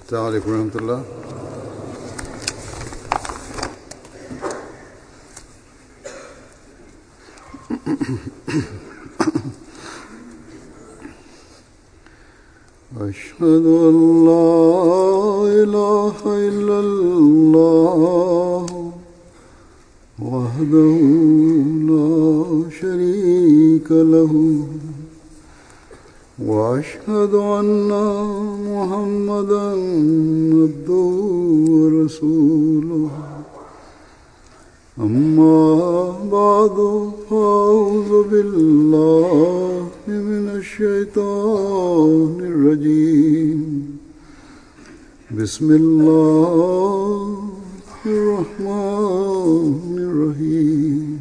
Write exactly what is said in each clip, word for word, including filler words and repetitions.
السلام عليكم ورحمة الله. أشهد أن لا إله إلا الله وحده لا شريك له وأشهد أن محمدا عبده ورسوله أما بعد فأعوذ بالله من الشيطان الرجيم بسم الله الرحمن الرحيم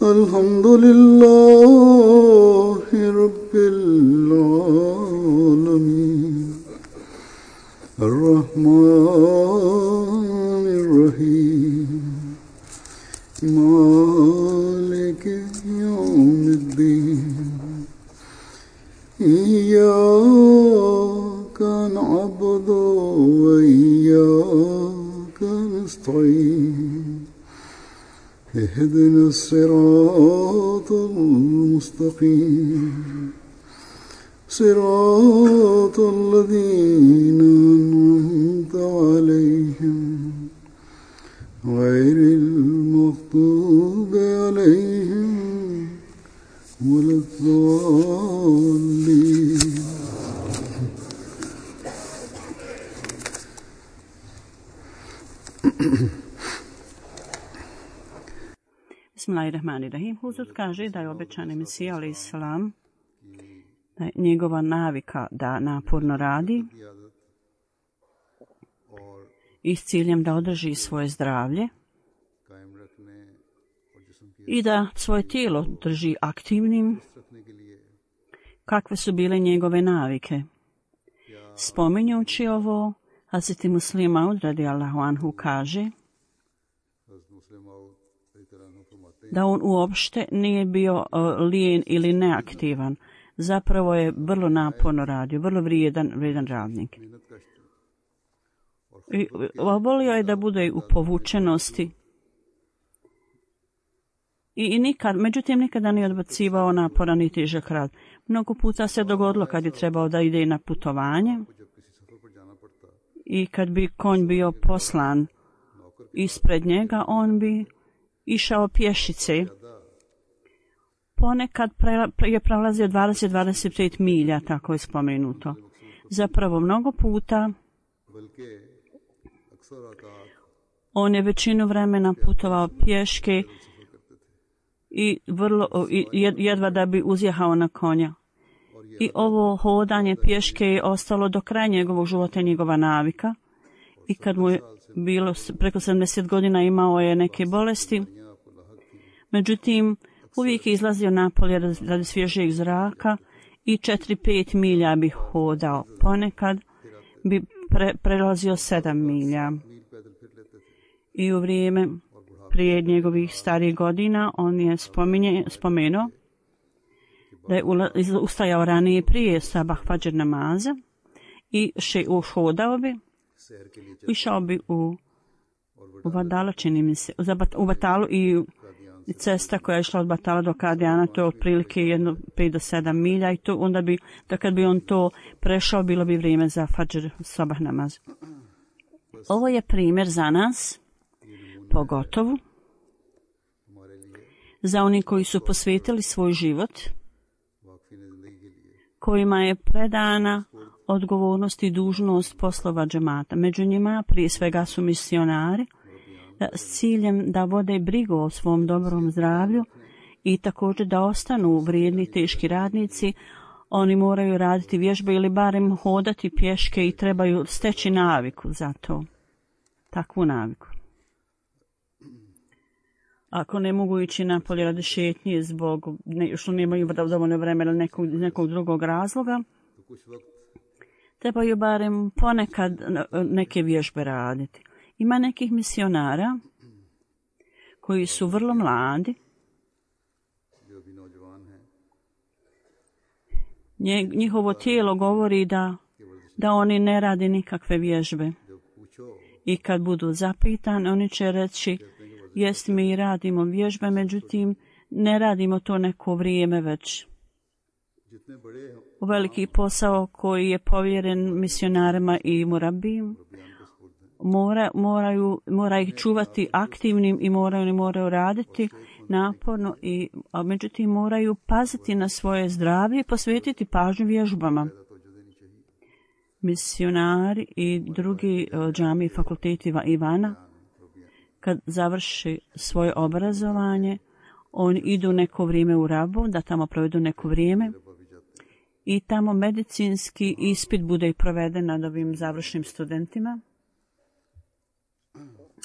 الحمد لله رب العالمين الرحمن الرحيم مالك يوم الدين إياك نعبد وإياك نستعين اهدنا الصراط المستقيم صراط الذين أنعمت عليهم غير المغضوب عليهم ولا الضالين. Bismillahirrahmanirrahim. Huzur kaže da je obećani Mesija alejhi selam, da je njegova navika da naporno radi i s ciljem da održi svoje zdravlje i da svoje tijelo drži aktivnim. Kakve su bile njegove navike? Spominjući ovo, Hazreti Muslim Maud radijallahu anhu kaže da on uopšte nije bio uh, lijen ili neaktivan. Zapravo je vrlo naporno radio, vrlo vrijedan, vrijedan radnik. I volio je da bude u povučenosti i, i nikad, međutim nikada nije odbacivao naporan i težak rad. Mnogo puta se dogodilo kad je trebao da ide na putovanje i kad bi konj bio poslan ispred njega, on bi išao pješice. Ponekad je prelazio dvadeset do dvadeset pet milja, tako je spomenuto. Zapravo mnogo puta on je većinu vremena putovao pješke i vrlo i jedva da bi uzjehao na konja. I ovo hodanje pješke je ostalo do kraja njegovog života, njegova navika. I kad mu je bilo preko sedamdeset godina, imao je neke bolesti. Međutim, uvijek je izlazio napolje radi svježijeg zraka i četiri do pet milja bi hodao. Ponekad bi pre, prelazio sedam milja. I u vrijeme prije njegovih starijih godina on je spominje, spomenuo da je ustajao ranije prije sabah fadžr namaza i še uhodao bi, išao bi u, u Batala, čini mi se, u Batalu i cesta koja je išla od Batala do Kadijana, to je otprilike jedno pet do sedam milja i to onda bi, da kad bi on to prešao, bilo bi vrijeme za fadžr sabah namaz. Ovo je primjer za nas, pogotovo za oni koji su posvetili svoj život, kojima je predana odgovornost i dužnost poslova džemata. Među njima prije svega su misionari s ciljem da vode brigu o svom dobrom zdravlju i također da ostanu vrijedni teški radnici. Oni moraju raditi vježbe ili barem hodati pješke i trebaju steći naviku za to, takvu naviku. Ako ne mogu ići napolje radi šetnje zbog ne, što nemaju dovoljno vremena nekog, nekog drugog razloga, trebaju barem ponekad neke vježbe raditi. Ima nekih misionara koji su vrlo mladi. Njihovo tijelo govori da da oni ne radi nikakve vježbe. I kad budu zapitani, oni će reći, jest mi radimo vježbe, međutim ne radimo to neko vrijeme već. Veliki posao koji je povjeren misionarima i murabijim, mora, moraju, mora ih čuvati aktivnim i moraju, ne moraju raditi naporno, i, a međutim moraju paziti na svoje zdravlje i posvetiti pažnju vježbama. Misionari i drugi džami fakulteti Ivana, kad završi svoje obrazovanje, oni idu neko vrijeme u Rabu, da tamo provedu neko vrijeme i tamo medicinski ispit bude i proveden nad ovim završnim studentima.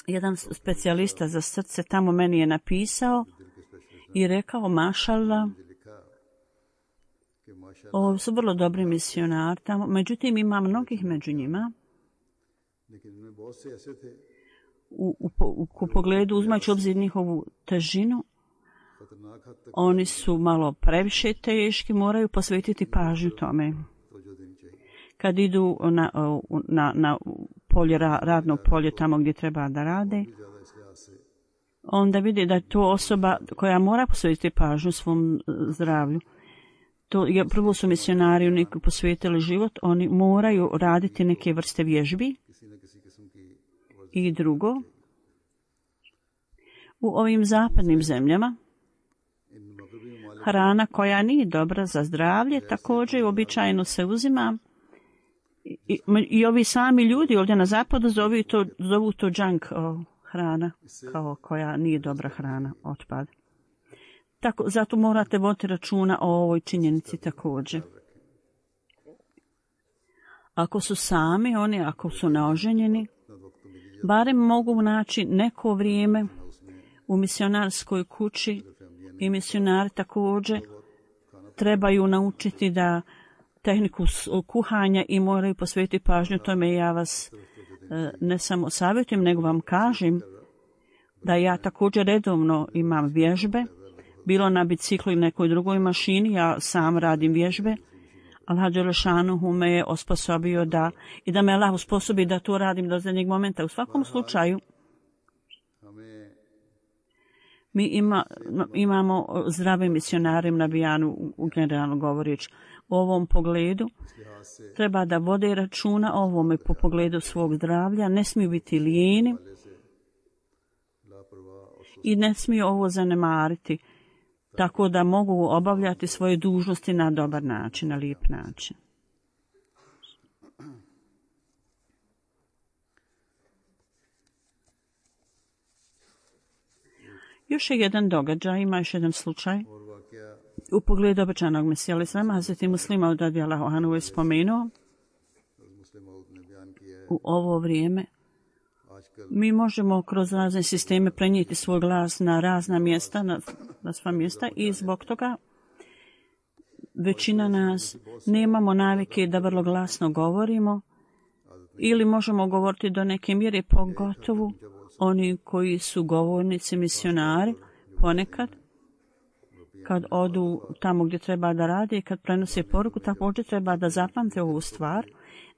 Jedan specijalista za srce tamo meni je napisao i rekao, mašallah, ovo su vrlo dobri misionari tamo, međutim ima mnogih među njima u, u, u, u pogledu uzmajući obzir njihovu težinu, oni su malo previše teški, moraju posvetiti pažnju tome. Kad idu na, na, na polje, radno polje tamo gdje treba da rade, onda vidi da je to osoba koja mora posvetiti pažnju svom zdravlju. To je, prvo su misionari oni posvetili život, oni moraju raditi neke vrste vježbi. I drugo, u ovim zapadnim zemljama hrana koja nije dobra za zdravlje također uobičajeno se uzima i, i, i ovi sami ljudi ovdje na zapadu zovu to, zovu to junk o, hrana, kao koja nije dobra hrana, otpad. Tako, zato morate voditi računa o ovoj činjenici također. Ako su sami, oni ako su neoženjeni, barem mogu naći neko vrijeme u misionarskoj kući i misionari također trebaju naučiti da tehniku kuhanja i moraju posvetiti pažnju tome. Ja vas ne samo savjetujem, nego vam kažem da ja također redovno imam vježbe, bilo na biciklu i nekoj drugoj mašini, ja sam radim vježbe. Allah Đelešanuhu me je osposobio da, i da me Allah osposobi da to radim do zadnjeg momenta. U svakom slučaju, mi ima, imamo zdrave misionare na Bijanu, generalno govoreći. U ovom pogledu treba da vode računa o ovome po pogledu svog zdravlja, ne smiju biti lijeni i ne smiju ovo zanemariti, tako da mogu obavljati svoje dužnosti na dobar način, na lijep način. Još je jedan događaj, ima još jedan slučaj. U pogledu obećanog Mesija al-Islama, Hazreti Muslima radijallahu anhu je spomenuo, u ovo vrijeme mi možemo kroz razne sisteme prenijeti svoj glas na razna mjesta, na, na sva mjesta, i zbog toga većina nas nemamo navike da vrlo glasno govorimo ili možemo govoriti do neke mjere, pogotovo oni koji su govornici, misionari, ponekad kad odu tamo gdje treba da rade i kad prenose poruku, također treba da zapamte ovu stvar,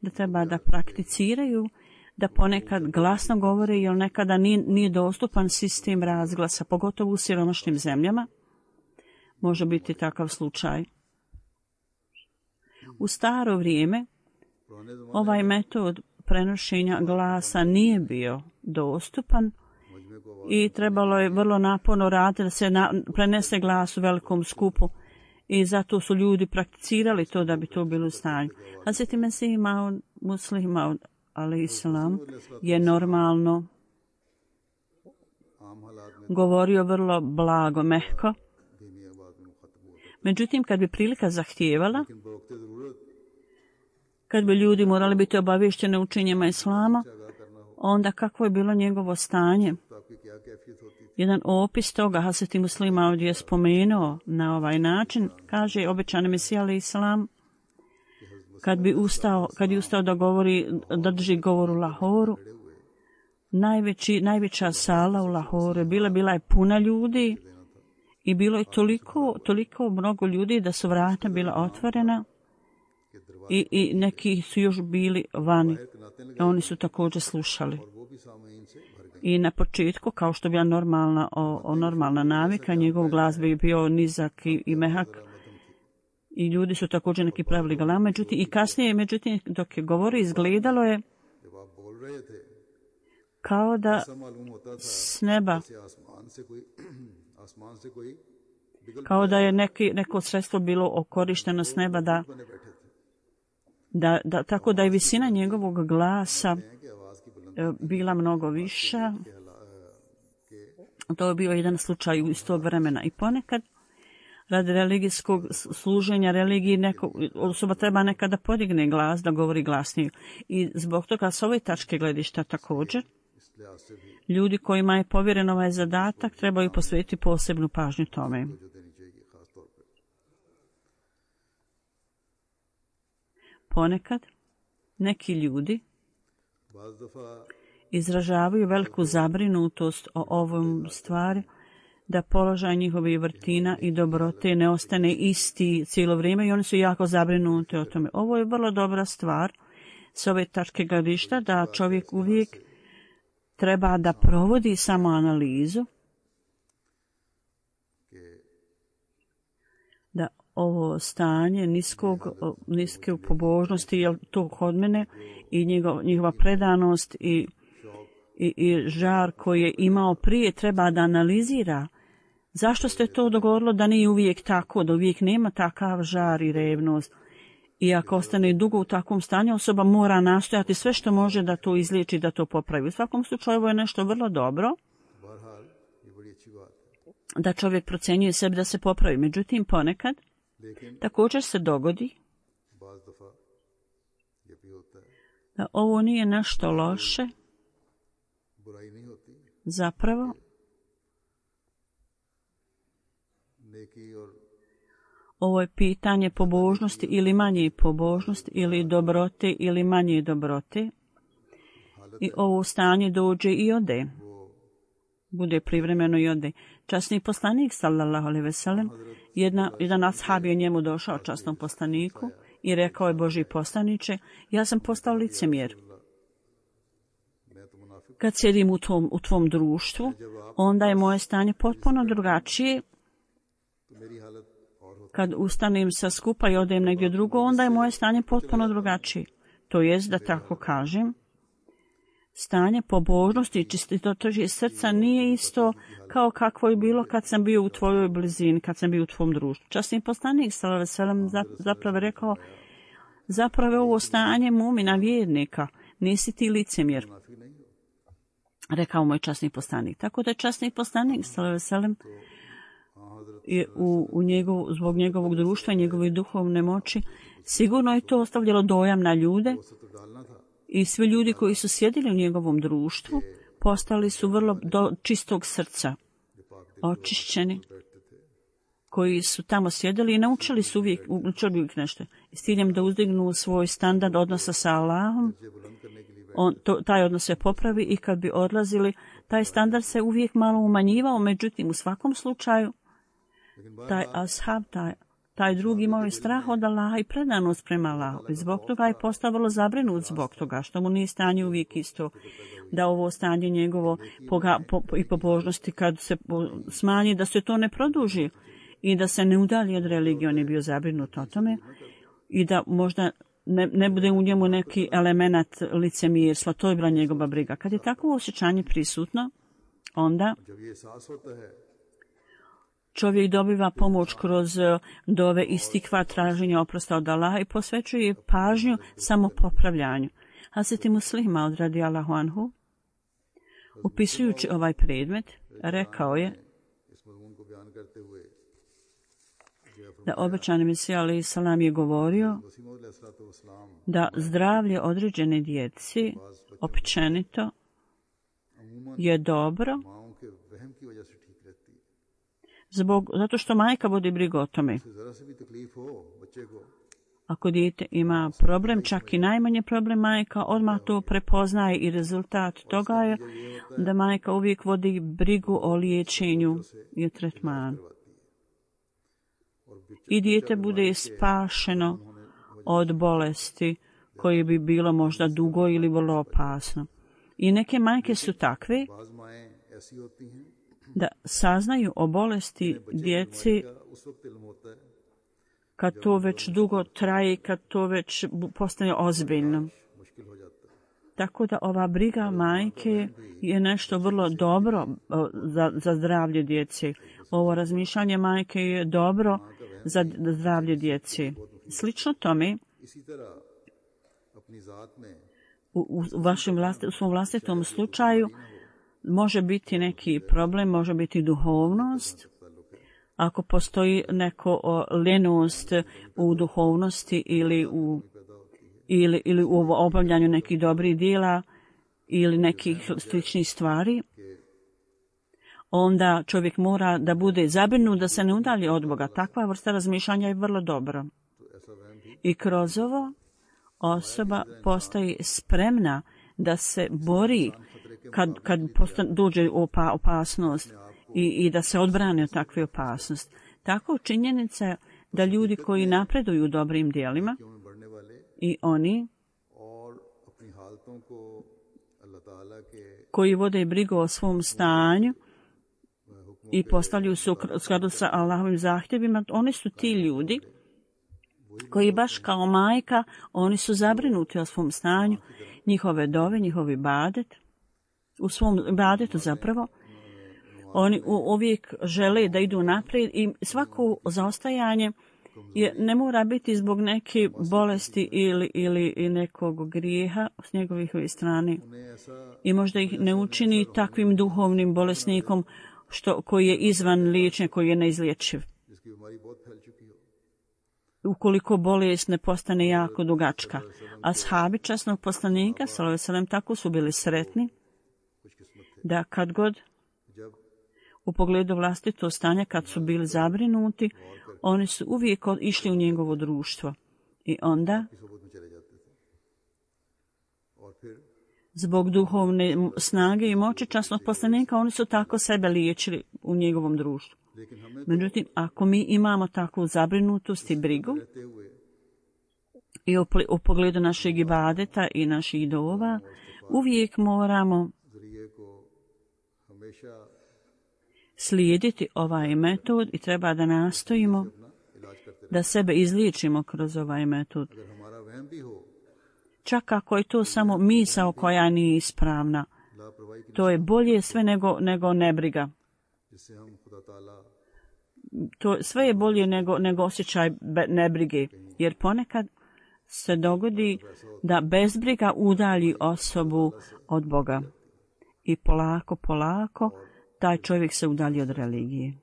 da treba da prakticiraju, da ponekad glasno govore, jer nekada nije, nije dostupan sistem razglasa, pogotovo u siromašnim zemljama. Može biti takav slučaj. U staro vrijeme ovaj metod prenošenja glasa nije bio dostupan i trebalo je vrlo naporno raditi da se na, prenese glas u velikom skupu i zato su ljudi prakticirali to da bi to bilo u stanju. Hazreti Mesih Maud, Muslih Maud alejselam, je normalno govorio vrlo blago, mehko. Međutim, kad bi prilika zahtijevala, kad bi ljudi morali biti obavješteni učenjima Islama, onda kako je bilo njegovo stanje? Jedan opis toga Hazreti Muslima ovdje je spomenuo na ovaj način, kaže obećani Mesija alejselam, kad bi ustao, kad je ustao da govori, da drži govor u Lahoru, najveći, najveća sala u Lahoru bila, bila je puna ljudi i bilo je toliko, toliko mnogo ljudi da su vrata bila otvorena I, i neki su još bili vani. Oni su također slušali. I na početku, kao što je bila normalna, o, o normalna navika, njegov glas bi bio nizak i, i mehak. I ljudi su također neki pravili galama. Međutim, i kasnije, međutim, dok je govori, izgledalo je kao da s neba, kao da je neki, neko sredstvo bilo korišteno s neba, da, da, da, tako da je visina njegovog glasa bila mnogo viša. To je bio jedan slučaj iz tog vremena. I ponekad, radi religijskog služenja religiji, neko, osoba treba nekada podigne glas, da govori glasnije. I zbog toga s ove tačke gledišta također, ljudi kojima je povjeren ovaj zadatak trebaju posvetiti posebnu pažnju tome. Ponekad neki ljudi izražavaju veliku zabrinutost o ovom stvari, da položaj njihovih vrtina i dobrote ne ostane isti cijelo vrijeme i oni su jako zabrinuti o tome. Ovo je vrlo dobra stvar s ove tačke gledišta, da čovjek uvijek treba da provodi samo analizu, da ovo stanje niskog, niske pobožnosti, je to kod mene, i njegov, njegova predanost i, i, i žar koji je imao prije, treba da analizira. Zašto ste to dogodilo da nije uvijek tako, da uvijek nema takav žar i revnost? I ako ostane dugo u takvom stanju, osoba mora nastojati sve što može da to izliječi, da to popravi. U svakom slučaju ovo je nešto vrlo dobro, da čovjek procjenjuje sebi da se popravi. Međutim, ponekad također se dogodi da ovo nije nešto loše, zapravo ovo je pitanje pobožnosti ili manje pobožnosti, ili dobrote ili manje dobrote. I ovo stanje dođe i ode. Bude privremeno i ode. Časni poslanik, sallallahu alejhi ve sellem, jedna, jedan ashab je njemu došao, časnom poslaniku, i rekao je: Božji poslaniče, ja sam postao licemjer. Kad sjedim u tvom, u tvom društvu, onda je moje stanje potpuno drugačije. Kad ustanem sa skupa i odem negdje drugo, onda je moje stanje potpuno drugačije. To jest, da tako kažem, stanje pobožnosti i čistitoće srca nije isto kao kakvo je bilo kad sam bio u tvojoj blizini, kad sam bio u tvom društvu. Časni poslanik sallallahu alejhi ve sellem zapravo rekao: zapravo je ovo stanje mumina vjernika, nisi ti licemjer, rekao moj časni poslanik. Tako da je časni poslanik sallallahu alejhi ve sellem je u, u njegov, zbog njegovog društva i njegove duhovne moći, sigurno je to ostavljalo dojam na ljude, i svi ljudi koji su sjedili u njegovom društvu postali su vrlo do čistog srca, očišćeni, koji su tamo sjedili i naučili su uvijek, učili uvijek nešto. I s ciljem da uzdignu svoj standard odnosa sa Allahom, on, to, taj odnos se popravi, i kad bi odlazili, taj standard se uvijek malo umanjivao. Međutim, u svakom slučaju, taj ashab, taj, taj drugi imao je strah od Allaha i predanost prema Allahu. I zbog toga je postao vrlo zabrinut zbog toga, što mu nije stanje uvijek isto, da ovo stanje njegovo poga, po, i pobožnosti kad se smanji, da se to ne produži i da se ne udalji od religije. On je bio zabrinut o tome i da možda ne, ne bude u njemu neki element licemjerstva. To je bila njegova briga. Kad je takvo osjećanje prisutno, onda čovjek dobiva pomoć kroz dove istikva, traženja oprosta od Allaha, i posvećuje pažnju samo popravljanju. Hazreti Muslima od radijallahu anhu, upisujući ovaj predmet, rekao je da obećani Mesija alejhi selam je govorio da zdravlje određene djeci općenito je dobro, zbog, zato što majka vodi brigu o tome. Ako dijete ima problem, čak i najmanje problem, majka odmah to prepoznaje, i rezultat toga je da majka uvijek vodi brigu o liječenju i o tretmanu. I dijete bude spašeno od bolesti koje bi bilo možda dugo ili vrlo opasno. I neke majke su takve da saznaju o bolesti djeci kad to već dugo traje, kad to već postane ozbiljno. Tako da ova briga majke je nešto vrlo dobro za, za zdravlje djece. Ovo razmišljanje majke je dobro za zdravlje djece. Slično tome, u, u, vašem vlast, u svom vlastitom slučaju može biti neki problem, može biti duhovnost. Ako postoji neko ljenost u duhovnosti ili u Ili, ili u obavljanju nekih dobrih dijela ili nekih sličnih stvari, onda čovjek mora da bude zabrinut da se ne udalji od Boga. Takva vrsta razmišljanja je vrlo dobro. I kroz ovo osoba postaje spremna da se bori kad, kad postane, dođe opa, opasnost i, i da se odbrane od takve opasnosti. Tako činjenica je da ljudi koji napreduju u dobrim dijelima i oni koji vode brigu o svom stanju i postavljaju se u skladu sa Allahovim zahtjevima, oni su ti ljudi koji baš kao majka, oni su zabrinuti o svom stanju, njihove dove, njihovi ibadet, u svom ibadetu zapravo. Oni uvijek žele da idu naprijed i svako zaostajanje je, ne mora biti zbog neke bolesti ili, ili nekog grijeha s njegovih strane. I možda ih ne učini takvim duhovnim bolesnikom što, koji je izvan liječenja, koji je neizlječiv. Ukoliko bolest ne postane jako dugačka. Ashabi časnog poslanika, sallallahu alejhi ve sellem, tako su bili sretni da kad god u pogledu vlastitog stanja, kad su bili zabrinuti, oni su uvijek išli u njegovo društvo. I onda, zbog duhovne snage i moći časnog poslanika, oni su tako sebe liječili u njegovom društvu. Međutim, ako mi imamo takvu zabrinutost i brigu i u pogledu našeg ibadeta i naših dova, uvijek moramo slijediti ovaj metod i treba da nastojimo da sebe izliječimo kroz ovaj metod. Čak ako je to samo misao koja nije ispravna, to je bolje sve nego, nego nebriga. To sve je bolje nego, nego osjećaj nebrige, jer ponekad se dogodi da bezbriga udalji osobu od Boga. I polako, polako, taj čovjek se udalji od religije.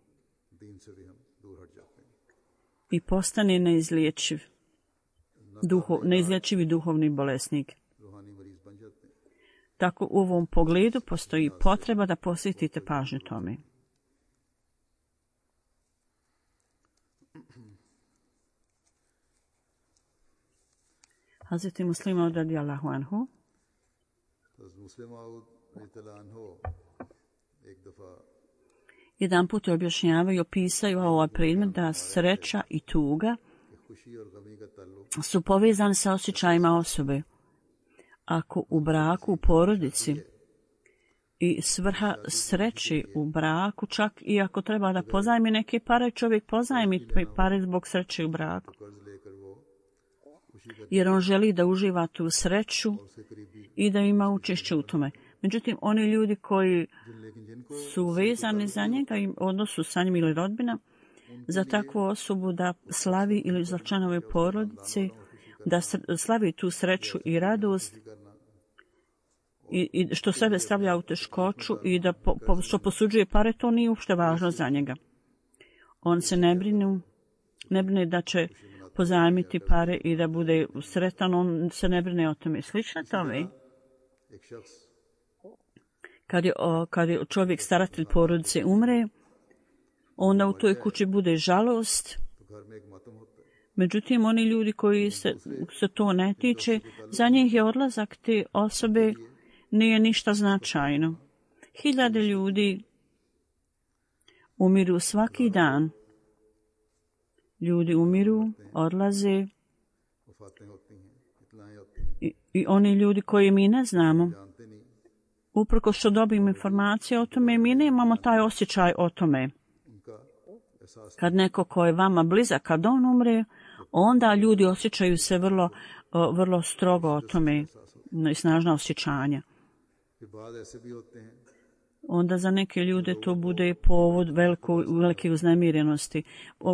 I postane neizlječiv, duho, neizlječivi duhovni bolesnik. Tako u ovom pogledu postoji potreba da posvetite pažnju tome. Hazreti Muslim Maud radijallahu anhu jedan put objašnjavaju i opisaju ovaj predmet da sreća i tuga su povezani sa osjećajima osobe. Ako u braku, u porodici i svrha sreći u braku, čak i ako treba da pozajmi neke pare, čovjek pozajmi pare zbog sreće u braku. Jer on želi da uživa tu sreću i da ima učešće u tome. Međutim, oni ljudi koji su vezani za njega i odnosu sa njim ili rodbina, za takvu osobu da slavi ili za članove porodice, da slavi tu sreću i radost i, i što sebe stavlja u teškoću i da po, po, što posuđuje pare, to nije uopšte važno za njega. On se ne brine, ne brine da će pozajmiti pare i da bude sretan, on se ne brine o tome. Slično tome, kad je, kad je čovjek staratelj porodice umre, onda u toj kući bude žalost. Međutim, oni ljudi koji se, se to ne tiče, za njih je odlazak te osobe nije ništa značajno. Hiljade ljudi umiru svaki dan. Ljudi umiru, odlaze I, i oni ljudi koji mi ne znamo, uprko što dobijemo informacije o tome, mi nemamo taj osjećaj o tome. Kad neko ko je vama blizak, kad on umre, onda ljudi osjećaju se vrlo, vrlo strogo o tome, i snažna osjećanja. Onda za neke ljude to bude povod veliko, velike uznemirenosti.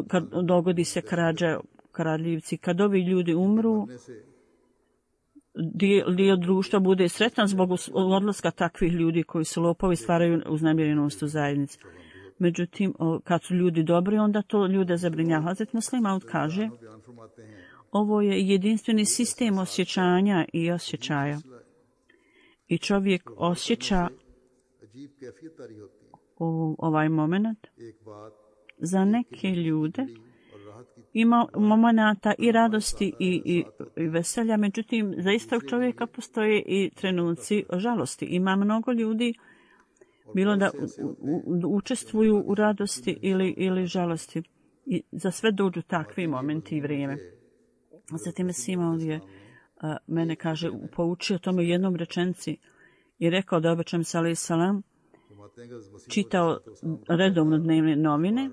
Kad dogodi se krađa, kradljivci, kad ovi ljudi umru, dio, dio društva bude sretan zbog odlaska takvih ljudi koji su lopovi, stvaraju uznemirenost u zajednici. Međutim, kad su ljudi dobri, onda to ljude zabrinjava. Hazret Muslim Maud kaže, ovo je jedinstveni sistem osjećanja i osjećaja. I čovjek osjeća u ovaj moment. Za neke ljude ima momenata i radosti i, i, i veselja, međutim, za istog čovjeka postoje i trenuci žalosti. Ima mnogo ljudi, bilo da u, u, učestvuju u radosti ili, ili žalosti. I za sve dođu takvi momenti i vrijeme. Zatim Sima je a, mene, kaže, poučio tome jednom rečenci i rekao da obećam se alaih salam čitao redovno dnevne novine.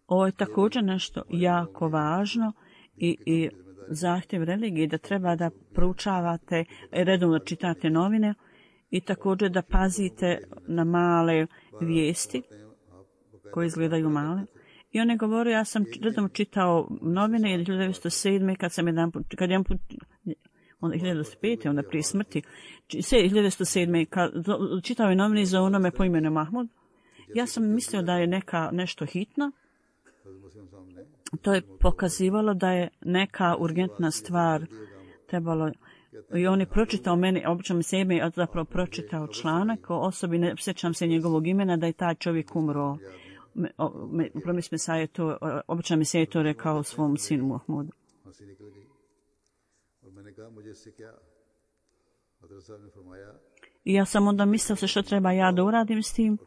Ovo je također nešto jako važno i, i zahtjev religije, da treba da proučavate, redovno čitate novine i također da pazite na male vijesti koje izgledaju male. I on je govorio, ja sam redovno čitao novine hiljadu devetsto sedme. kad sam jedan put, kad jedan put, onda hiljadu devetsto pete. onda prije smrti, hiljadu devetsto sedme. kad čitao je novine za onome po imenu Mahmud. Ja sam mislio da je neka nešto hitno. To je pokazivalo da je neka urgentna stvar trebalo. I on je pročitao meni, obično mi se ime, a zapravo pročitao članak o osobi, ne sjećam se njegovog imena, da je taj čovjek umro. Promis Mesaje to, obično mi se je to rekao svom sinu Muhammedu. I ja sam onda mislila se što treba ja da uradim s tim.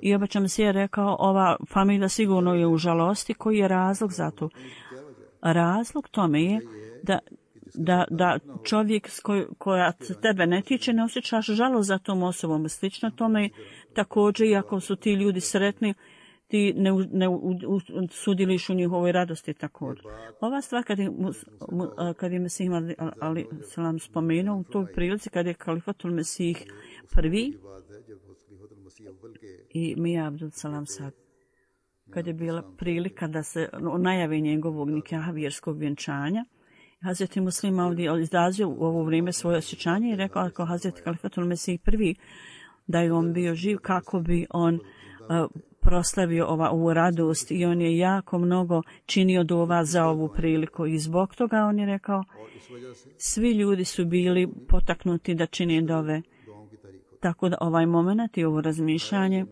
I obično se je rekao, ova familija sigurno je u žalosti. Koji je razlog za to? Razlog tome je da, da, da čovjek koj, koja tebe ne tiče, ne osjećaš žalost za tom osobom. Slično tome također, iako su ti ljudi sretni, ti ne, ne u, u, sudjeliš u njihovoj radosti također. Ova stvar kad je, kad je Mesih ali salam spomenuo u toj prilici, kad je Kalifatul Mesih prvi i Mija Abdul Salam sad, kad je bila prilika da se najavi njegovog nikaha, vjerskog vjenčanja, Hazreti Muslim ovdje izrazio u ovo vrijeme svoje osjećanje i rekao ako Hazreti Kalifatul Mesih prvi, da je on bio živ, kako bi on uh, proslavio ova, ovu radost, i on je jako mnogo činio dova za ovu priliku i zbog toga on je rekao, svi ljudi su bili potaknuti da čine dove. Tako da ovaj moment i ovo razmišljanje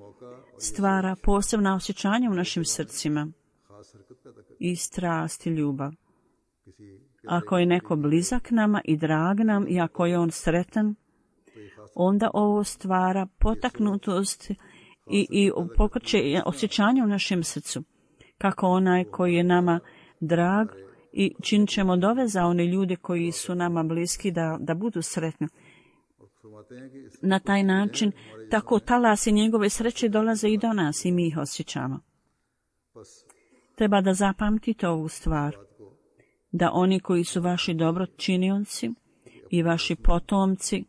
stvara posebna osjećanja u našim srcima i strast i ljubav. Ako je neko blizak nama i drag nam i ako je on sretan, onda ovo stvara potaknutost i, i pokreće osjećanje u našem srcu. Kako onaj koji je nama drag i činit ćemo dove za one ljude koji su nama bliski da, da budu sretni. Na taj način, tako talasi njegove sreće dolaze i do nas i mi ih osjećamo. Treba da zapamtite ovu stvar, da oni koji su vaši dobročinioci i vaši potomci,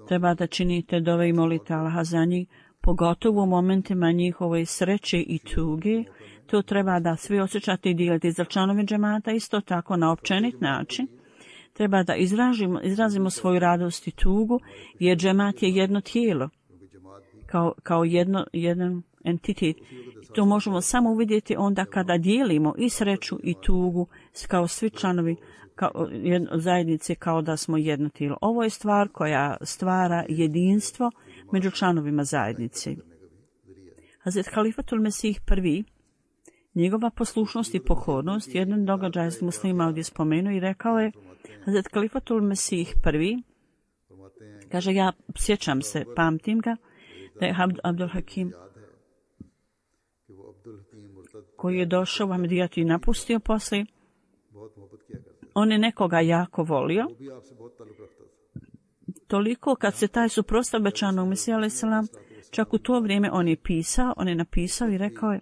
treba da činite dove i molite Allaha za njih, pogotovo u momentima njihove sreće i tuge. To treba da svi osjećate i dijelite za članove džemata, isto tako na općenit način. Treba da izrazimo, izrazimo svoju radost i tugu, jer džemat je jedno tijelo, kao, kao jedno, jedan entitet. To možemo samo uvidjeti onda kada dijelimo i sreću i tugu kao svi članovi kao, jedno, zajednice, kao da smo jedno tijelo. Ovo je stvar koja stvara jedinstvo među članovima zajednice. Hazret Kalifatul Mesih prvi, njegova poslušnost i pokornost, jedan događaj s muslima ovdje spomenuo i rekao je, Hazret Kalifatul Mesih prvi, kaže, ja sjećam se, pamtim ga, da je Abdul Hakim koji je došao u Ahmedijat i napustio poslije, on je nekoga jako volio, toliko kad se taj suprotstavio obećanog Mesija alejhi selam, čak u to vrijeme on je pisao, on je napisao i rekao je,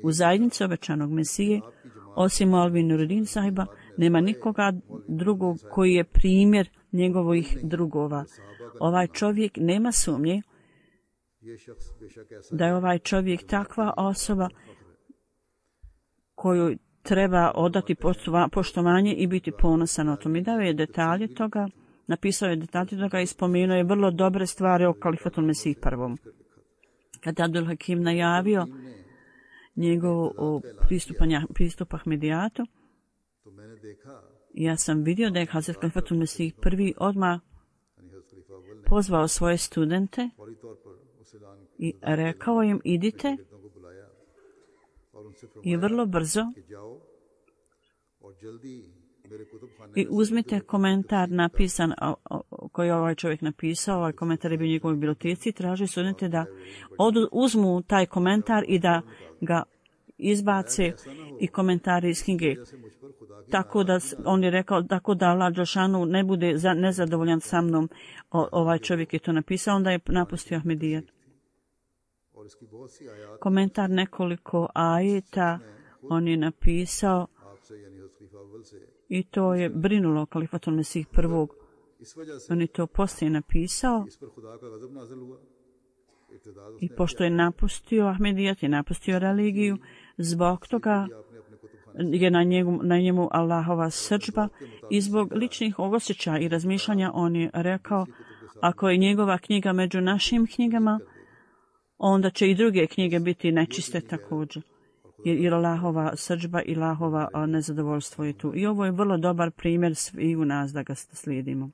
u zajednici obećanog Mesije, osim Maulvi Nuruddin sahiba, nema nikoga drugog koji je primjer njegovih drugova. Ovaj čovjek nema sumnje da je ovaj čovjek takva osoba koju treba odati poštovanje i biti ponosan o tom. I dao je detalje toga, napisao je detalje toga i spomenuo je vrlo dobre stvari o Kalifatul Mesih prvom. Kada Abdul Hakim najavio njegov pristup Ahmedijatu, ja sam vidio da je Hazret Kalifatul Mesih prvi odmah pozvao svoje studente i rekao im, idite i vrlo brzo i uzmite komentar napisan koji je ovaj čovjek napisao, ovaj komentar je bio u njegovoj biblioteci, traži studente da odu, uzmu taj komentar i da ga izbace i komentari iz knjige. Tako da on je rekao, tako da Allah Đelšanu ne bude za, nezadovoljan sa mnom, o, ovaj čovjek je to napisao, onda je napustio Ahmedijat. Komentar nekoliko ajeta on je napisao i to je brinulo Kalifatul Mesih prvog. On je to poslije napisao i pošto je napustio Ahmedijat, je napustio religiju, zbog toga je na njemu, na njemu Allahova srdžba i zbog ličnih osjećaja i razmišljanja on je rekao, ako je njegova knjiga među našim knjigama, onda će i druge knjige biti nečiste također. Jer, jer Allahova srdžba i Allahova nezadovoljstvo je tu. I ovo je vrlo dobar primjer svi u nas da ga slijedimo.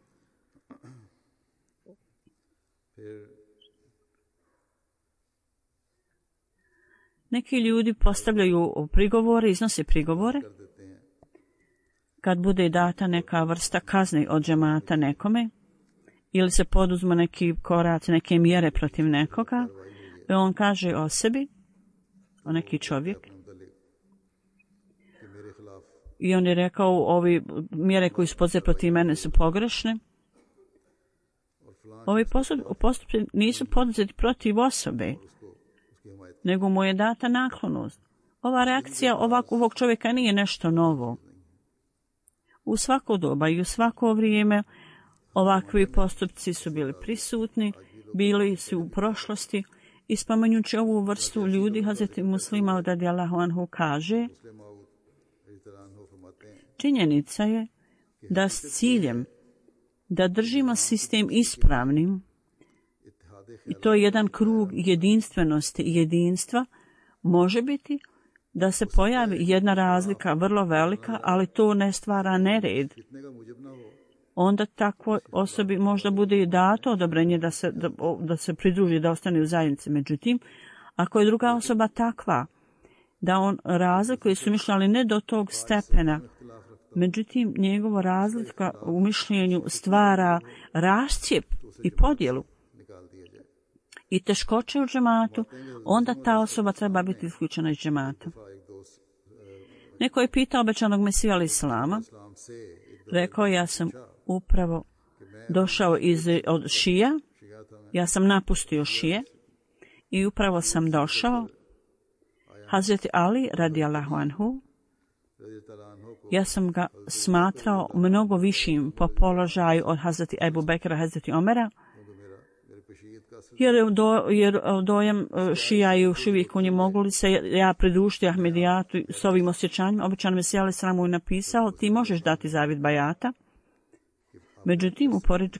Neki ljudi postavljaju prigovore, iznose prigovore. Kad bude data neka vrsta kazne od džemata nekome, ili se poduzmu neki koraci, neke mjere protiv nekoga, i on kaže o sebi, o neki čovjek, i on je rekao, ovi mjere koji su poduzete protiv mene su pogrešne. Ovi postupci nisu poduzeti protiv osobe, nego mu je data naklonost. Ova reakcija ovak, ovog čovjeka nije nešto novo. U svako doba i u svako vrijeme ovakvi postupci su bili prisutni, bili su u prošlosti i spominjući ovu vrstu ljudi, Hazreti Muslima radijallahu anhu kaže, činjenica je da s ciljem da držimo sistem ispravnim, i to je jedan krug jedinstvenosti i jedinstva, može biti da se pojavi jedna razlika vrlo velika, ali to ne stvara nered. Onda takvoj osobi možda bude i dato odobrenje da se, da, da se pridruži, da ostane u zajednici. Međutim, ako je druga osoba takva, da on razlikuje su mišljali ne do tog stepena, međutim, njegova razlika u mišljenju stvara rašcijep i podjelu i teškoće u džematu, onda ta osoba treba biti isključena iz džemata. Neko je pitao obećanog Mesija alejhi selama, rekao, ja sam upravo došao iz, od šija, ja sam napustio šije i upravo sam došao. Hazreti Ali radijallahu anhu, ja sam ga smatrao mnogo višim po položaju od Hazreti Ebu Bekra, Hazreti Omera, jer, do, jer dojem šija i još uvijek u njih mogu li se ja pridružiti Ahmedijatu s ovim osjećanjima. Obećan Mesija alejhi selam mu je napisao, ti možeš dati zavjet bajata. Međutim,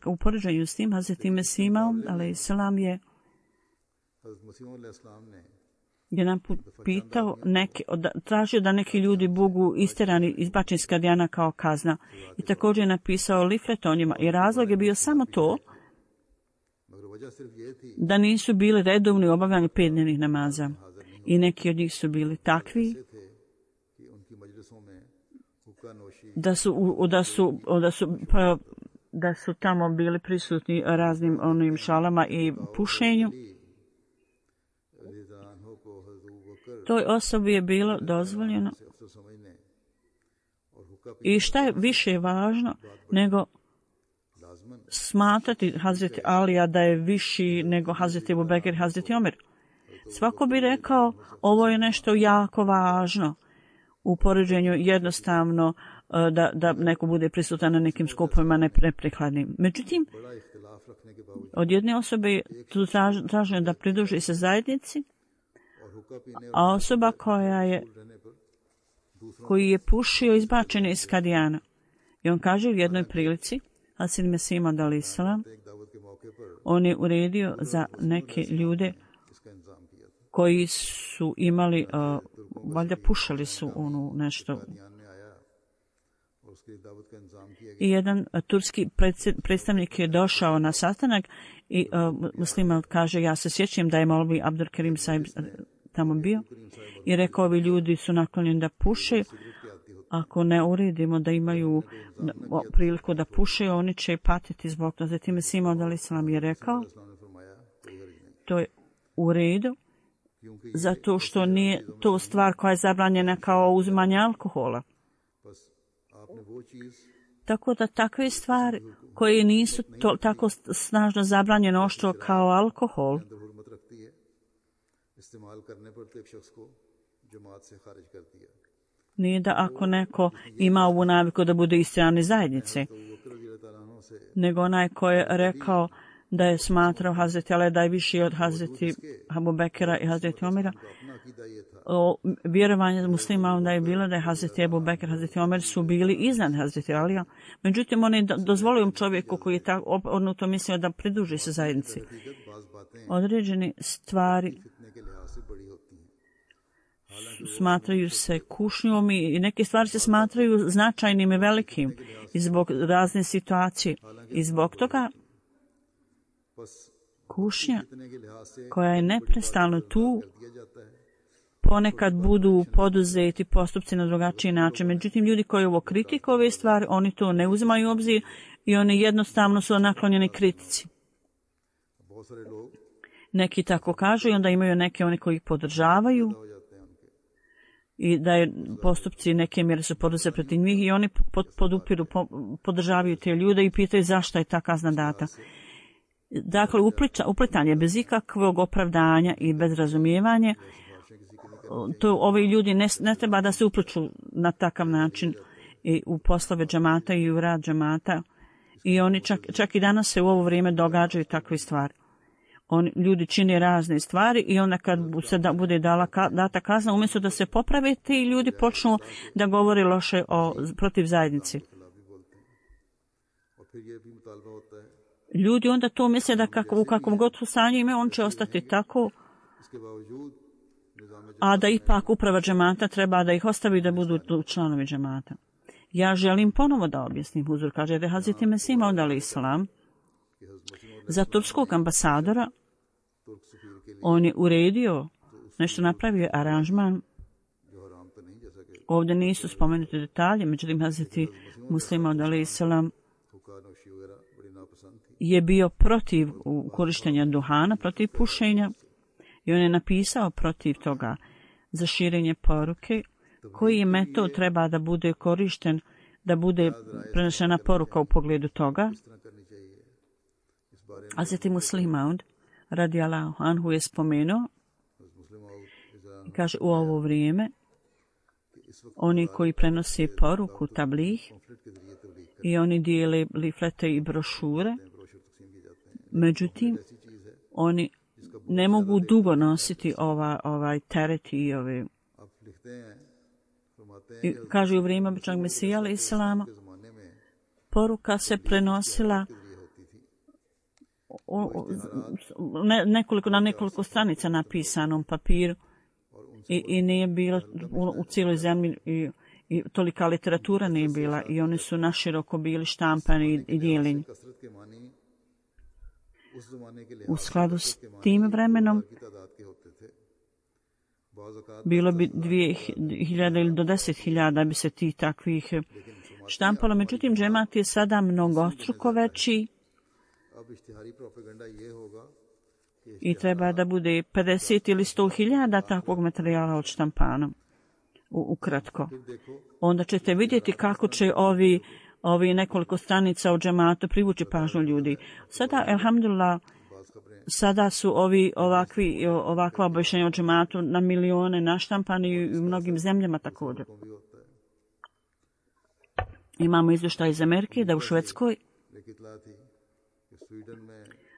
u poređenju s tim, Hazreti Mesija alejhi selam je jedan put pitao, neke, tražio da neki ljudi budu isterani, izbačeni iz Kadijana kao kazna. I također je napisao liflet o njima. I razlog je bio samo to da nisu bili redovni u obavljanju petdnevnih namaza. I neki od njih su bili takvi da su, da su, da su, pa, da su tamo bili prisutni raznim onim šalama i pušenju. toj osobi je bilo dozvoljeno. I šta je više važno nego smatrati Hazreti Alija da je viši nego Hazreti Ebu Bekir i Hazreti Omer. Svako bi rekao ovo je nešto jako važno u poređenju jednostavno da, da neko bude prisutan na nekim skupovima neprikladnim. Međutim, od jedne osobe je tu traženo da pridruži se zajednici, a osoba koja je koji je pušio izbačen iz Kadijana. I on kaže u jednoj prilici, Hasid Mesih Maud alejhi selam, on je uredio za neke ljude koji su imali, uh, valjda pušali su ono nešto. I jedan uh, turski predstavnik je došao na sastanak i uh, muslima kaže, ja se sjećam da je Molvi Abdul Karim Sahib tamo bio i rekao, ovi ljudi su naklonjeni da puše. Ako ne uredimo da imaju priliku da puše, oni će patiti zbog toga. Zatim Mesih Maud alejhi selam je rekao, to je u redu, zato što nije to stvar koja je zabranjena kao uzimanje alkohola. Tako da takve stvari koje nisu to, tako snažno zabranjene oštro kao alkohol, nije da ako neko ima ovu naviku da bude iz strane zajednice, nego onaj koji je rekao da je smatrao Hazreti Alija da je viši od Hazreti Abu Bekira i Hazreti Omera. O, vjerovanje muslima onda je bilo da je Hazreti Abu Bekir i Hazreti Omer su bili iznad Hazreti Alija. Međutim, on je dozvolio čovjeku koji je tako odnuto mislio da pridruži se zajednici. Određene stvari smatraju se kušnjom i neke stvari se smatraju značajnim i velikim i zbog razne situacije. I zbog toga kušnja koja je neprestano tu, ponekad budu poduzeti postupci na drugačiji način. Međutim, ljudi koji ovo kritikuju ove stvari, oni to ne uzimaju u obzir i oni jednostavno su naklonjeni kritici. Neki tako kažu i onda imaju neke oni koji ih podržavaju i da je postupci neke mjere su poduzeti protiv njih i oni pod, podupiru, po, podržavaju te ljude i pitaju zašto je ta kazna data. Dakle, uplitanje bez ikakvog opravdanja i bez razumijevanja, to ovi ljudi ne, ne treba da se upliču na takav način i u poslove džamata i u rad džamata. I oni čak, čak i danas se u ovo vrijeme događaju takve stvari. Oni, ljudi čine razne stvari i onda kad se da, bude dala, data kazna, umjesto da se poprave, ti ljudi počnu da govore loše o, protiv zajednici. Ljudi onda to misle da kako, u kakvom god stanju ime, on će ostati tako, a da ipak uprava džemata treba da ih ostavi da budu članovi džemata. Ja želim ponovo da objasnim, huzur kaže da je Hazreti Mesih Maud alejhi selam za turskog ambasadora, on je uredio, nešto napravio aranžman. Ovdje nisu spomenuti detalje, međutim Hazreti Mesih Maud alejhi selam je bio protiv korištenja duhana, protiv pušenja i on je napisao protiv toga za širenje poruke, koji je metod treba da bude korišten, da bude prenešena poruka u pogledu toga. Hazreti Muslih Maud radijallahu anhu je spomenuo i kaže u ovo vrijeme oni koji prenose poruku tablih i oni dijele liflete i brošure, međutim oni ne mogu dugo nositi ova, ovaj teret i ove. I kaže u vrijeme običnog Mesija alejhi selama poruka se prenosila u, u, ne, nekoliko, na nekoliko stranica napisanom papiru i, i nije bilo u, u cijeloj zemlji i, i tolika literatura nije bila i oni su naširoko bili štampani i, i dijeljeni. U skladu s tim vremenom bilo bi dvije hiljade ili do deset hiljada bi se tih takvih štampalo. Međutim, džemat je sada mnogostruko veći i treba da bude pedeset ili sto hiljada takvog materijala od štampanom. U, ukratko. Onda ćete vidjeti kako će ovi, ovi nekoliko stranica od džemata privući pažnju ljudi. Sada, elhamdulillah, sada su ovi ovakvi, ovakva objašnjenja o džematu na milione naštampani i u mnogim zemljama također. Imamo izvještaj iz Amerike da u Švedskoj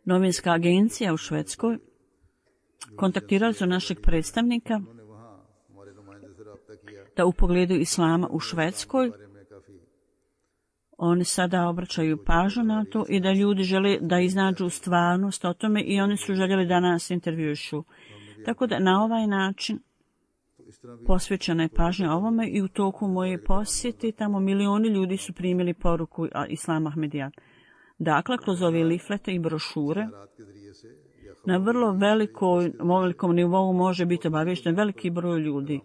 novinska agencija u Švedskoj kontaktirali su našeg predstavnika da u pogledu islama u Švedskoj oni sada obraćaju pažnju na to i da ljudi žele da iznađu stvarnost o tome i oni su željeli da nas intervjušu. Tako da na ovaj način posvećena je pažnja ovome i u toku moje posjeti tamo milioni ljudi su primili poruku Islam Ahmedijat. Dakle, kroz ove liflete i brošure na vrlo velikoj, velikom nivou može biti obavješten veliki broj ljudi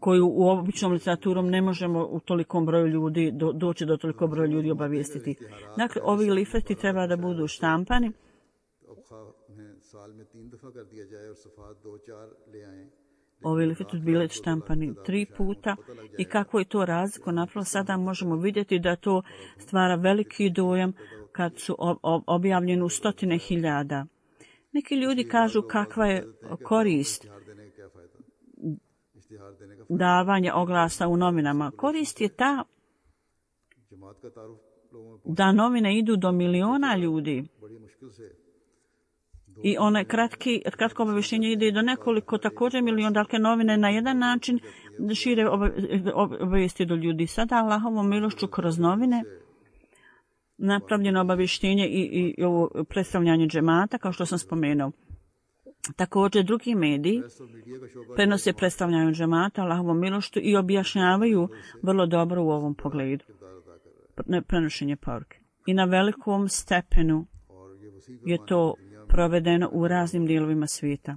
koju u običnom literaturom ne možemo u tolikom broju ljudi do, doći do toliko broja ljudi obavijestiti. Dakle, ovi lifleti treba da budu štampani. Ovi lifleti bili štampani tri puta i kako je to razliko napravilo, sada možemo vidjeti da to stvara veliki dojam kad su objavljeni u stotine hiljada. Neki ljudi kažu kakva je korist davanja oglasa u novinama. Korist je ta da novine idu do miliona ljudi i one kratki, kratko obavještenje ide do nekoliko također miliona, dakle novine na jedan način šire obavijesti do ljudi. Sada Allahovom milošću kroz novine napravljeno obavještenje i, i, i ovo predstavljanje džemata, kao što sam spomenuo. Također drugi mediji prenose predstavljanje džemata Allahovom milošću i objašnjavaju vrlo dobro u ovom pogledu prenošenje poruke. I na velikom stepenu je to provedeno u raznim dijelovima svijeta.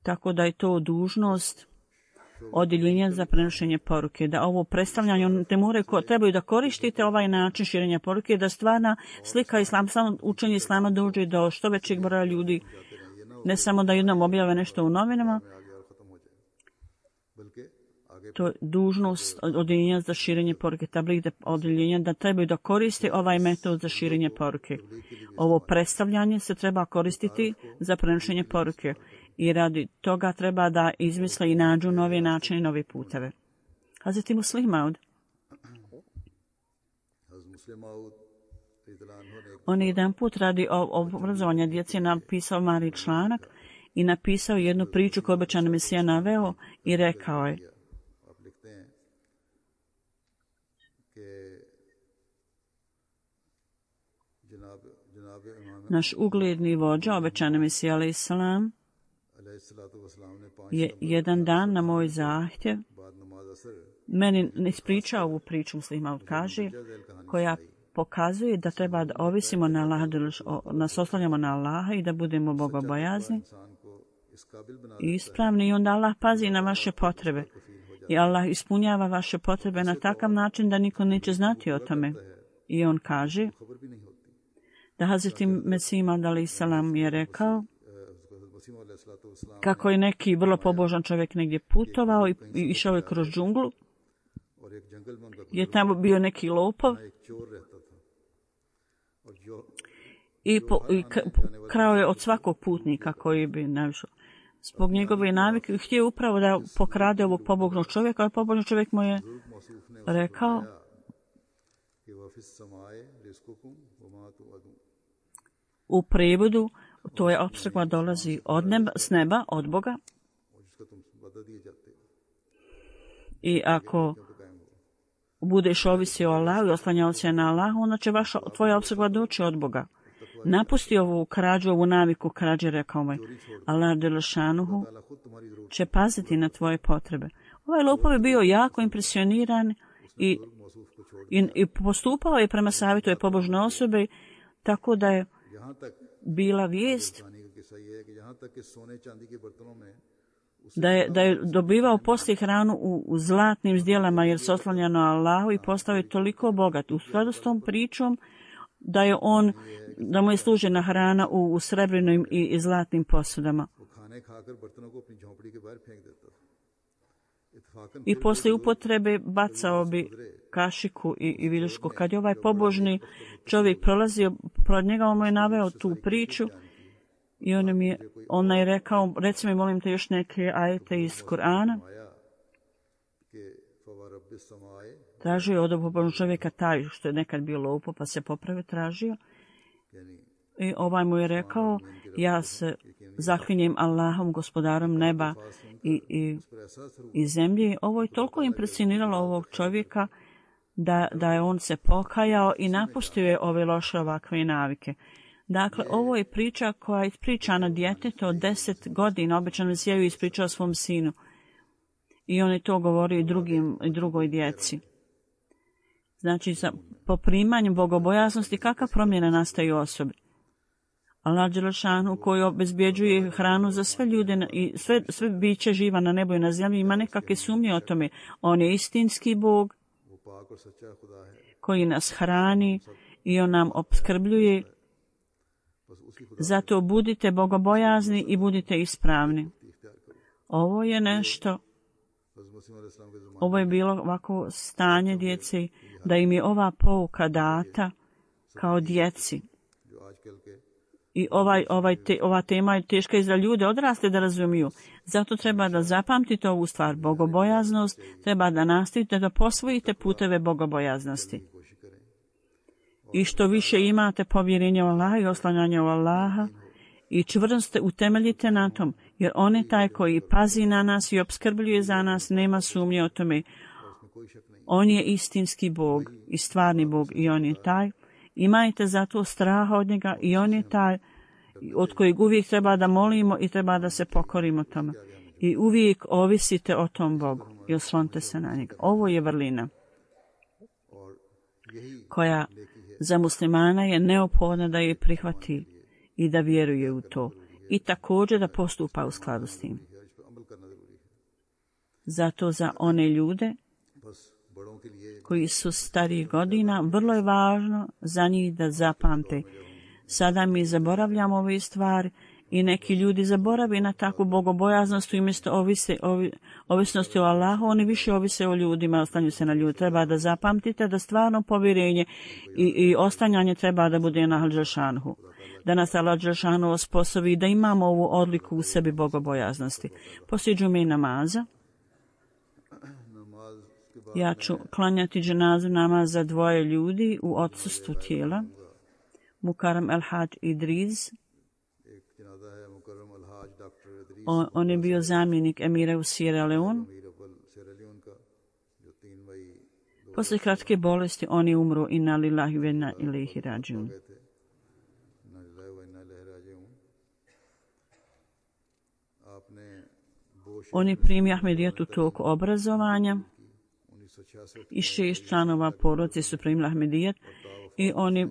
Tako da je to dužnost odjeljenja za prenošenje poruke, da ovo predstavljanje te more ko trebaju da koristite ovaj način širenja poruke, da stvarna slika islam, samo učenje islama dođe do što većeg broja ljudi, ne samo da jednom objave nešto u novinama. To je dužnost odjeljenja za širenje poruke, tabligh odjeljenja da trebaju da koriste ovaj metod za širenje poruke. Ovo predstavljanje se treba koristiti za prenošenje poruke i radi toga treba da izmisle i nađu nove načine i nove puteve. Hazreti Muslih Maud, on je jedan put radi obrazovanja djece napisao mali članak i napisao jednu priču koju obećani Mesija naveo i rekao je: naš ugledni vođa, obećani Mesija alejhi selam, je jedan dan na moj zahtjev meni ispričao ovu priču, Muslih Maud kaže, koja pokazuje da treba da ovisimo na Allaha, nas oslanjamo na Allaha i da budemo bogobojazni i ispravni, i onda Allah pazi na vaše potrebe i Allah ispunjava vaše potrebe na takav način da niko neće znati o tome. I on kaže da Hazreti Mesih Maud alejhi selam je rekao kako je neki vrlo pobožan čovjek negdje putovao i, i išao je kroz džunglu, je tamo bio neki lopov i, po, i k, krao je od svakog putnika koji bi naišao. Zbog njegove navike htio upravo da pokrade ovog pobožnog čovjeka, ali pobožni čovjek mu je rekao u prevodu, to je opskrbna dolazi od neba, s neba, od Boga. I ako budeš ovisio o Allahu i oslanjao se na Allahu, onda će vaša, tvoja opskrbna doći od Boga. Napusti ovu krađu, ovu naviku krađe, rekao mu je. Allah dželešanuhu će paziti na tvoje potrebe. Ovaj lopov je bio jako impresioniran i, i, i postupao je prema savjetu je pobožne osobe, tako da je bila vijest da je, da je dobivao poslije hranu u, u zlatnim zdjelama jer se oslanjao na Allahu i postao je toliko bogat. U skladu s tom pričom da je on, da mu je služena hrana u, u srebrnim i, i zlatnim posudama. I poslije upotrebe bacao bi kašiku i, i viljušku. Kad je ovaj pobožni čovjek prolazio pored njega, on mu je naveo tu priču i on mi je, on je rekao, reci mi molim te još neke ajete iz Kur'ana. Tražio je od ovog čovjeka taj što je nekad bio lopo pa se popravio, tražio. I ovaj mu je rekao, ja se zaklinjem Allahom, gospodarom neba i, i, i zemlje. Ovo je toliko impresioniralo ovog čovjeka da, da je on se pokajao i napustio je ove loše ovakve navike. Dakle, ovo je priča koja je ispričana djetetu od deset godina, običan Mesijaju ispričao svom sinu. I on je to govorio i drugim, i drugoj djeci. Znači, sa poprimanjem bogobojaznosti, kakva promjena nastaje u osobi? Allah Đelešanu koji obezbjeđuje hranu za sve ljude i sve, sve biće živa na nebu i na zemlji, ima nekakve sumnje o tome. On je istinski Bog koji nas hrani i on nam opskrbljuje. Zato budite bogobojazni i budite ispravni. Ovo je nešto, ovo je bilo ovako stanje djece, da im je ova pouka data kao djeci. I ovaj, ovaj te, ova tema je teška i za ljude odrasle da razumiju. Zato treba da zapamtite ovu stvar, bogobojaznost, treba da nastavite da posvojite puteve bogobojaznosti. I što više imate povjerenja u Allaha i oslanjanja u Allaha i čvrsto utemeljite na tom, jer on je taj koji pazi na nas i opskrbljuje za nas, nema sumnje o tome. On je istinski Bog i stvarni Bog i on je taj. Imajte zato straha od njega i on je taj od kojeg uvijek treba da molimo i treba da se pokorimo tome. I uvijek ovisite o tom Bogu i oslonite se na njega. Ovo je vrlina koja za muslimana je neophodna da je prihvati i da vjeruje u to. I također da postupa u skladu s tim. Zato za one ljude koji su starih godina, vrlo je važno za njih da zapamte. Sada mi zaboravljamo ove stvari i neki ljudi zaboravi na takvu bogobojaznost i umjesto ovise, ovi, ovisnosti o Allahu, oni više ovise o ljudima, ostanju se na ljudi. Treba da zapamtite da stvarno povjerenje i, i ostanjanje treba da bude na Allah Đelešanu. Da nas Allah Đelešanu osposobi da imamo ovu odliku u sebi bogobojaznosti. Poslije džume i namaza ja ću klanjati dženazu namaz za dvoje ljudi u odsustvu tijela. Mukarram El-Hadž Idriz. On, on je bio zamjenik emira u Sierra Leone. Poslije kratke bolesti on je umro inna lillahi wa inna ilaihi rađiun. On je primio Ahmedijet u toku obrazovanja i šest članova porodice su primili Ahmedijet i on je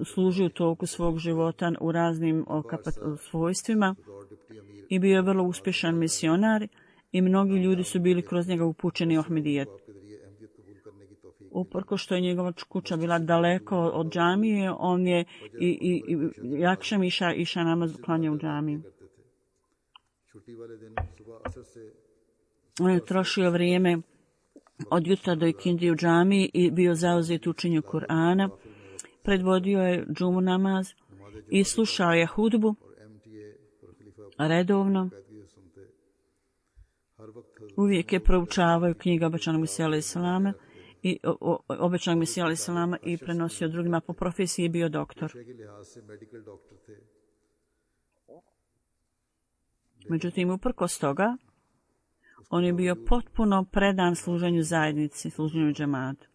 služio u toku svog života u raznim svojstvima i bio je vrlo uspješan misionar i mnogi ljudi su bili kroz njega upućeni u Ahmedijet. Uprko što je njegova kuća bila daleko od džamije, on je i, i, i jakšem iša, iša namaz klanja u džamiji. On je trošio vrijeme od jutra do ikindije u džamiji i bio zauzet u učenju Kur'ana. Predvodio je džumu namaz i slušao je hudbu redovno. Uvijek je proučavao knjige obećanog Mesija alejhi selama i obećanog Mesija alejhi selama i prenosio drugima. Po profesiji bio doktor. Međutim, uprkos toga, on je bio potpuno predan služenju zajednici, služenju džematu.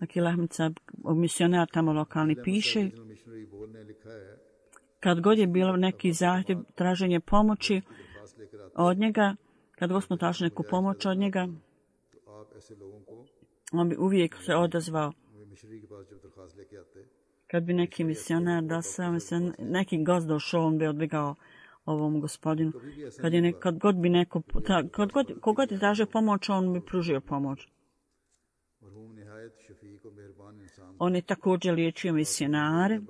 Akil Ahmed Sab, misionar tamo lokalni, piše, kad god je bilo neki zahtjev, traženje pomoći od njega, kad god smo tražili neku pomoć od njega, on bi uvijek se odazvao. Kad bi neki misionar došao, neki gost došao, on bi odbjegao ovom gospodinu. Kad, je ne, kad god bi neko, kad god, kogod je tražio pomoć, on bi pružio pomoć. On je također liječio misionare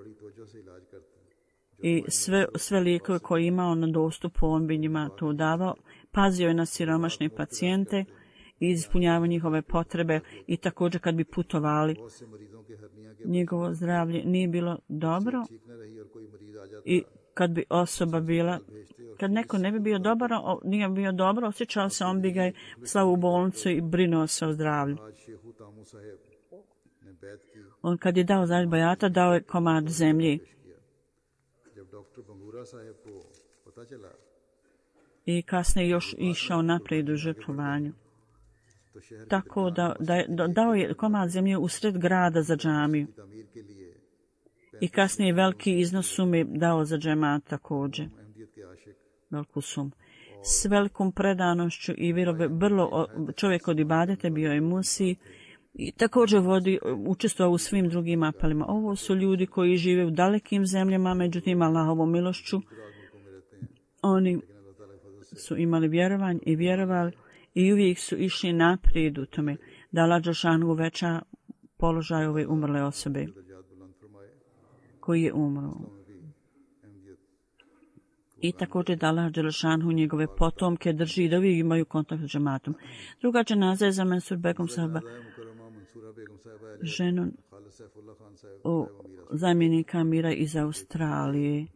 i sve, sve lijekove koje je imao na dostupu, on bi njima to davao. Pazio je na siromašne pacijente i ispunjavao njihove potrebe i također kad bi putovali, njegovo zdravlje nije bilo dobro i kad bi osoba bila, kad neko ne bi bio dobar, nije bio dobro, osjećao se, on bi ga slao u bolnicu i brinuo se o zdravlju. On kad je dao zajedno bajata, dao je komad zemlji. I kasnije još išao naprijed u žrtvovanju. Tako da, da dao je komad zemlje usred grada za džamiju. I kasnije veliki iznos sume dao za džemat također. Veliku sumu. S velikom predanošću i vrlo čovjek od ibadete bio je musi i također vodi, učestvovao u svim drugim apelima. Ovo su ljudi koji žive u dalekim zemljama, međutim Allahovom milošću oni su imali vjerovanje i vjerovali i uvijek su išli naprijed u tome da Allah dželešanu uveća položaj ove umrle osobe koji je umro. I također da Allah dželešanu njegove potomke drži da uvijek imaju kontakt s džematom. Druga dženaza je za Mansur Begum sahaba, ženu o zamjenika mira iz Australije.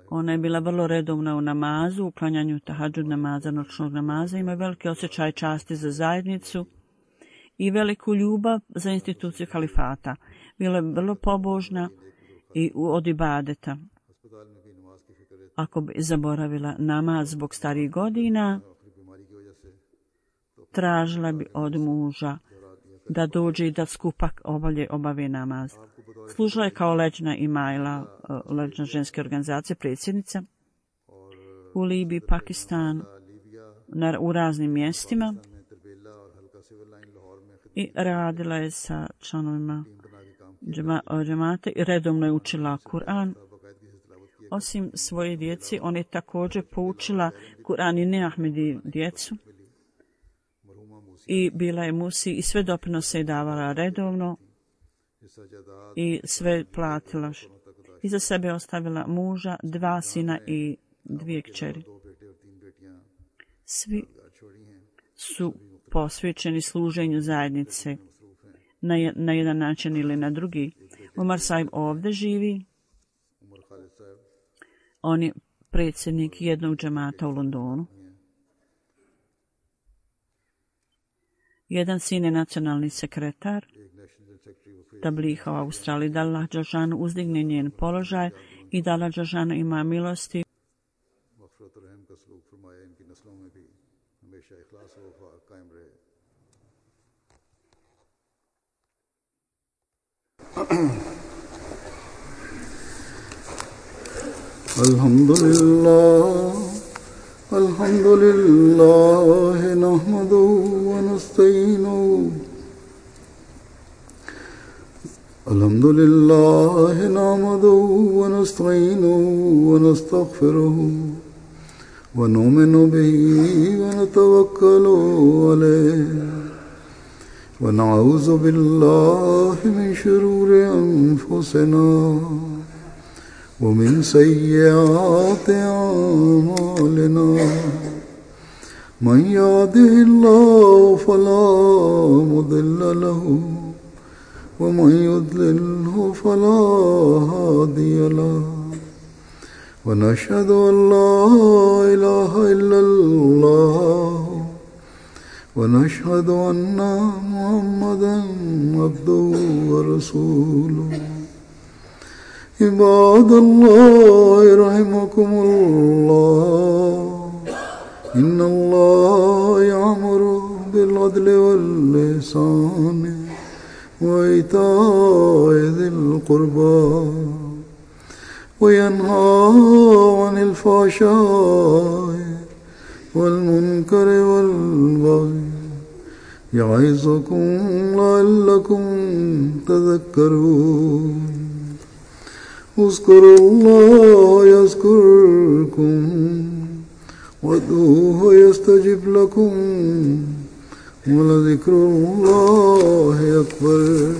Ona je bila vrlo redovna u namazu, u klanjanju tahadžud namaza, noćnog namaza, ima veliki osjećaj časti za zajednicu i veliku ljubav za instituciju halifata. Bila je vrlo pobožna i od ibadeta. Ako bi zaboravila namaz zbog starih godina, tražila bi od muža da dođe i da skupak obalje obave namaz. Služila je kao leđna imajla, leđna ženske organizacije, predsjednica u Libiji, Pakistanu, na, u raznim mjestima i radila je sa članovima džemata i redovno je učila Kur'an. Osim svoje djeci, on je također poučila Kur'an i neahmedi djecu i bila je musi i sve doprinose je davala redovno i sve platila. I za sebe ostavila muža, dva sina i dvije kćeri. Svi su posvećeni služenju zajednice na, na jedan način ili na drugi. Umar Sahib ovdje živi. On je predsjednik jednog džemata u Londonu. Jedan sin je nacionalni sekretar Tabliha u Australiji. Da Allah dželešanu uzdigne njen položaj i da Allah dželešanu ima milosti. Alhamdulillah, alhamdulillah, nahmaduhu wa nasta'inuhu. Alhamdulillah, nahmaduhu wa nasta'inuhu wa nastaghfiruhu wa nu'minu bihi wa natawakkalu alayhi wa na'udhu billahi min shururi anfusina ومن سيئات أعمالنا من يهده الله فلا مضل له ومن يضلله فلا هادي له ونشهد أن لا إله إلا الله ونشهد أن محمدا عبده ورسوله عباد الله رحمكم الله إن الله يأمر بالعدل والإحسان وإيتاء ذي القربى وينهى عن الفحشاء والمنكر والبغي يعظكم لعلكم تذكرون اذكروا الله يذكركم وادعوه يستجب لكم ولذكر الله أكبر.